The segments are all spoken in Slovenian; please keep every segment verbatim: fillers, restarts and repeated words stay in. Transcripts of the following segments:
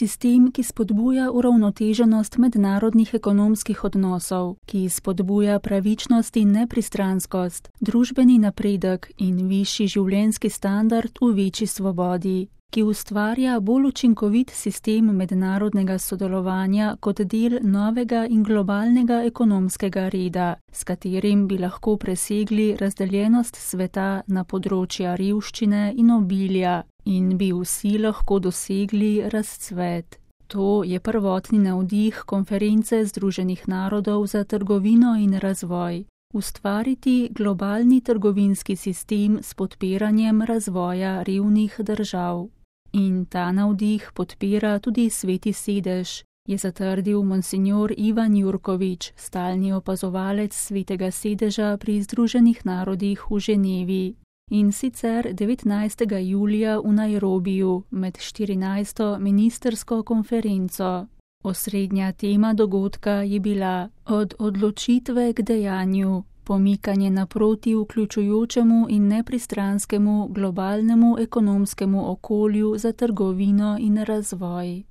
sistem, ki spodbuja uravnoteženost mednarodnih ekonomskih odnosov, ki spodbuja pravičnost in nepristranskost, družbeni napredek in višji življenjski standard v večji svobodi, ki ustvarja bolj učinkovit sistem mednarodnega sodelovanja kot del novega in globalnega ekonomskega reda, s katerim bi lahko presegli razdeljenost sveta na področja revščine in obilja in bi vsi lahko dosegli razcvet. To je prvotni navdih konference Združenih narodov za trgovino in razvoj. Ustvariti globalni trgovinski sistem s podpiranjem razvoja revnih držav. In ta navdih podpira tudi Sveti sedež, je zatrdil monsignor Ivan Jurkovič, stalni opazovalec Svetega sedeža pri Združenih narodih v Ženevi. In sicer devetnajstega julija v Nairobiju med štirinajsto ministrsko konferenco. Osrednja tema dogodka je bila od odločitve k dejanju, pomikanje naproti vključujočemu in nepristranskemu globalnemu ekonomskemu okolju za trgovino in razvoj.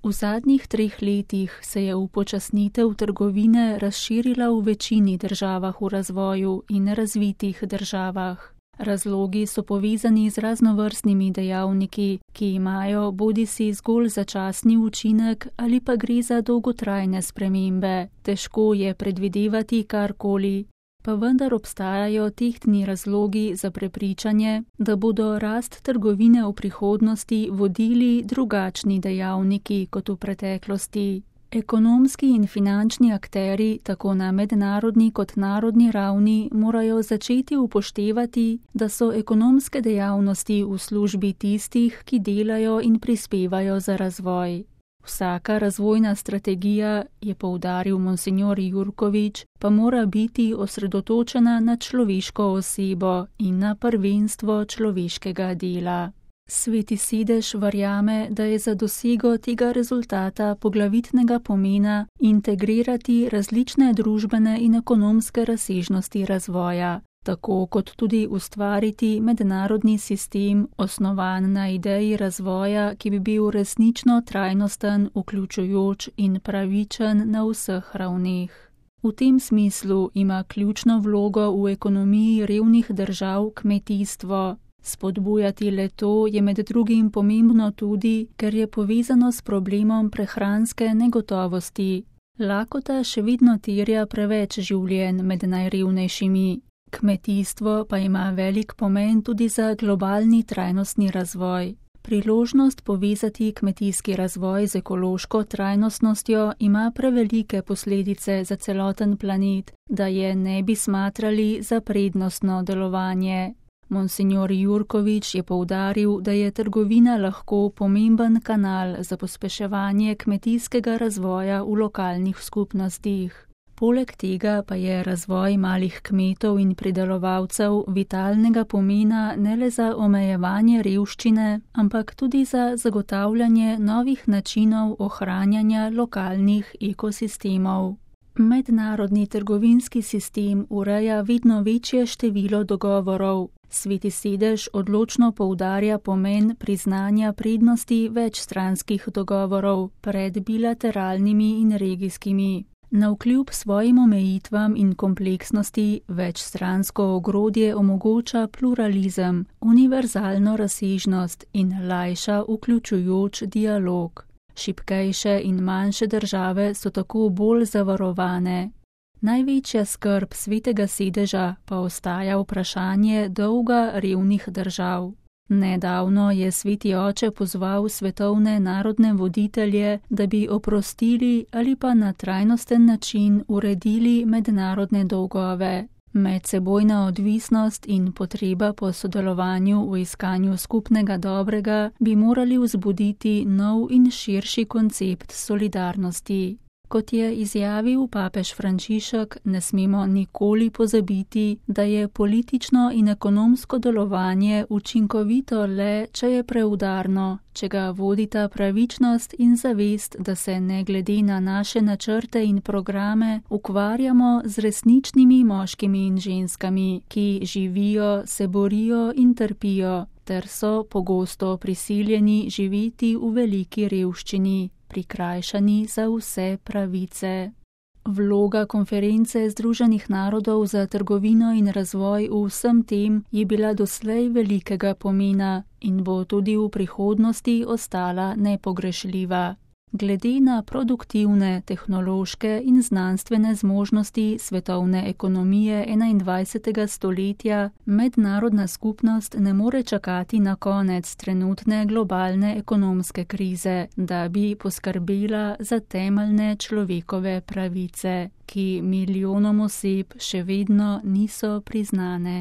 V zadnjih treh letih se je upočasnitev trgovine razširila v večini državah v razvoju in razvitih državah. Razlogi so povezani z raznovrstnimi dejavniki, ki imajo bodisi zgolj začasni učinek ali pa gre za dolgotrajne spremembe. Težko je predvidevati karkoli, pa vendar obstajajo tehtni razlogi za prepričanje, da bodo rast trgovine v prihodnosti vodili drugačni dejavniki kot v preteklosti. Ekonomski in finančni akteri, tako na mednarodni kot narodni ravni, morajo začeti upoštevati, da so ekonomske dejavnosti v službi tistih, ki delajo in prispevajo za razvoj. Vsaka razvojna strategija, je poudaril monsignor Jurkovič, pa mora biti osredotočena na človeško osebo in na prvenstvo človeškega dela. Sveti sedež verjame, da je za dosego tega rezultata poglavitnega pomena integrirati različne družbene in ekonomske razsežnosti razvoja, tako kot tudi ustvariti mednarodni sistem, osnovan na ideji razvoja, ki bi bil resnično trajnosten, vključujoč in pravičen na vseh ravneh. V tem smislu ima ključno vlogo v ekonomiji revnih držav kmetijstvo. Spodbujati le-to je med drugim pomembno tudi, ker je povezano s problemom prehranske negotovosti. Lakota še vedno terja preveč življenj med najrevnejšimi. Kmetijstvo pa ima velik pomen tudi za globalni trajnostni razvoj. Priložnost povezati kmetijski razvoj z ekološko trajnostnostjo ima prevelike posledice za celoten planet, da je ne bi smatrali za prednostno delovanje. Monsignor Jurkovič je poudaril, da je trgovina lahko pomemben kanal za pospeševanje kmetijskega razvoja v lokalnih skupnostih. Poleg tega pa je razvoj malih kmetov in pridelovalcev vitalnega pomena ne le za omejevanje revščine, ampak tudi za zagotavljanje novih načinov ohranjanja lokalnih ekosistemov. Mednarodni trgovinski sistem ureja vedno večje število dogovorov. Sveti sedež odločno poudarja pomen priznanja prednosti večstranskih dogovorov pred bilateralnimi in regijskimi. Navkljub svojim omejitvam in kompleksnosti večstransko ogrodje omogoča pluralizem, univerzalno razsežnost in lajša vključujoč dialog. Šibkejše in manjše države so tako bolj zavarovane. Največja skrb Svetega sedeža pa ostaja vprašanje dolga revnih držav. Nedavno je Sveti oče pozval svetovne narodne voditelje, da bi oprostili ali pa na trajnosten način uredili mednarodne dolgove. Medsebojna odvisnost in potreba po sodelovanju v iskanju skupnega dobrega bi morali vzbuditi nov in širši koncept solidarnosti. Kot je izjavil papež Frančišek, ne smemo nikoli pozabiti, da je politično in ekonomsko delovanje učinkovito le, če je preudarno, če ga vodita pravičnost in zavest, da se ne glede na naše načrte in programe ukvarjamo z resničnimi moškimi in ženskami, ki živijo, se borijo in trpijo, ter so pogosto prisiljeni živeti v veliki revščini, prikrajšani za vse pravice. Vloga konference Združenih narodov za trgovino in razvoj v vsem tem je bila doslej velikega pomena in bo tudi v prihodnosti ostala nepogrešljiva. Glede na produktivne, tehnološke in znanstvene zmožnosti svetovne ekonomije enaindvajsetega stoletja, mednarodna skupnost ne more čakati na konec trenutne globalne ekonomske krize, da bi poskrbela za temeljne človekove pravice, ki milijonom oseb še vedno niso priznane.